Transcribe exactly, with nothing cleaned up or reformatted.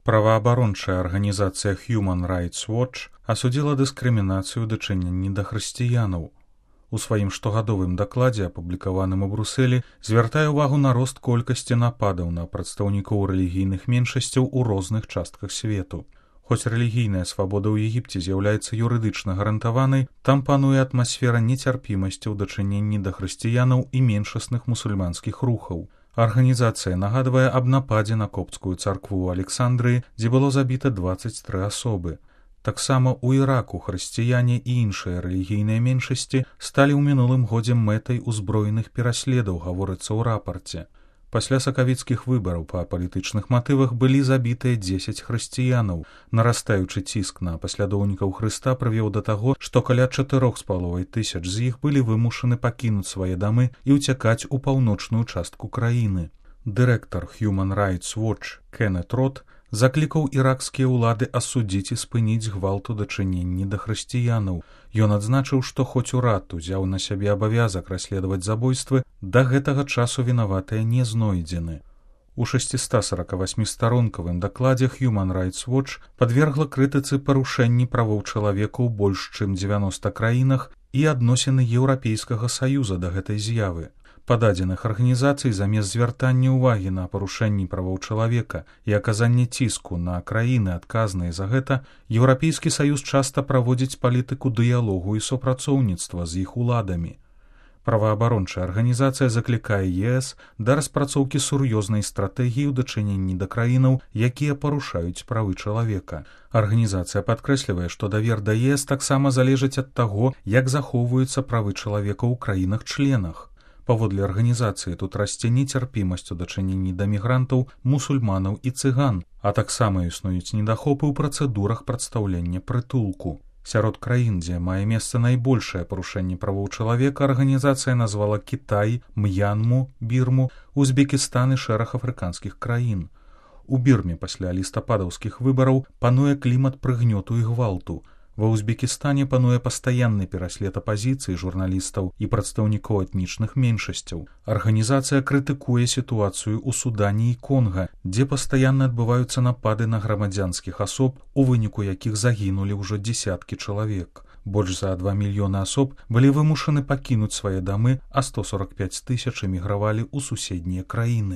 Праваабарончая арганізацыя Human Rights Watch асудзіла дыскрымінацыю ў дачыненні да хрысціянаў. У сваім штогадовым дакладзе, апублікаваным у Брусэлі, звяртае ўвагу на рост колькасці нападаў на прадстаўнікоў рэлігійных меншасцяў у розных частках свету. Хоць рэлігійная свабода ў Егіпце з'яўляецца юрыдычна гарантаванай, там пануе атмасфера нецярпімасці ў дачыненні да хрысціянаў і меншасных мусульманскіх рухаў. Арганізацыя нагадвае аб нападзе на копцкую царкву ў Александрыі, дзе было забіта дваццаць тры асобы. Таксама ў Іраку хрысціяне і іншыя рэлігійныя меншасці сталі ў минулым годзе мэтай узброеных пераследаў, гаворыцца ў рапарце. Пасля сакавіцкіх выбараў па палітычных матывах былі забітыя дзесяць хрысціянаў. Нарастаючы ціск на паслядоўнікаў Хрыста прывёў да таго, што каля чатырох з паловай тысяч з іх былі вымушаны пакінуць свае дамы і ўцякаць у паўночную частку краіны. Дырэктар Human Rights Watch Кеннет Рот заклікаў іракскія ўлады асудзіць і спыніць гвалт у дачыненні да хрысціянаў. Ён адзначыў, што хоць урад узяў на сябе абавязак расследаваць забойствы, да гэтага часу вінаватыя не знойдзены. У шасцістасаракавасьмістаронкавым дакладзе Human Rights Watch падвергла крытыцы парушэнні правоў чалавека ў больш чым дзевяноста краінах і адносіны Еўрапейскага саюза да гэтай з'явы. Па дадзеных арганізацый замест звяртання ўвагі на парушэнні правоў чалавека і аказанне ціску на краіны, адказныя за гэта, Еўрапейскі саюз часта праводзіць палітыку дыялогу і супрацоўніцтва з іх уладамі. Праваабарончая арганізацыя заклікае ЕС да распрацоўкі сур'ёзнай стратэгіі ў дачыненні да краінаў, якія парушаюць правы чалавека. Арганізацыя падкрэслівае, што давер да ЕС таксама залежыць ад таго, як захоўваюцца правы чалавека ў краінах-членах. Паводле арганізацыі тут расце нецярпімасць у дачыненні да мігрантаў, мусульманаў і цыган, а таксама існуюць недахопы ў працэдурах прадстаўлення прытулку. Сярод краін, дзе мае месца найбольшае парушэнне правоў чалавека, арганізацыя назвала Кітай, М'янму, Бірму, Узбекістан і шэраг афрыканскіх краін. У Бірме пасля лістападаўскіх выбараў пануе клімат прыгнёту і гвалту. Ва Узбекістане пануе пастаянны пераслед апазіцыі, журналістаў і прадстаўнікоў этнічных меншасцяў. Арганізацыя крытыкуе сітуацыю ў Судане і Конга, дзе пастаянна адбываюцца напады на грамадзянскіх асоб, у выніку якіх загінулі ўжо дзесяткі чалавек. Больш за два мільёны асоб былі вымушаны пакінуць свае дамы, а сто сорак пяць тысяч эмігравалі ў суседнія краіны.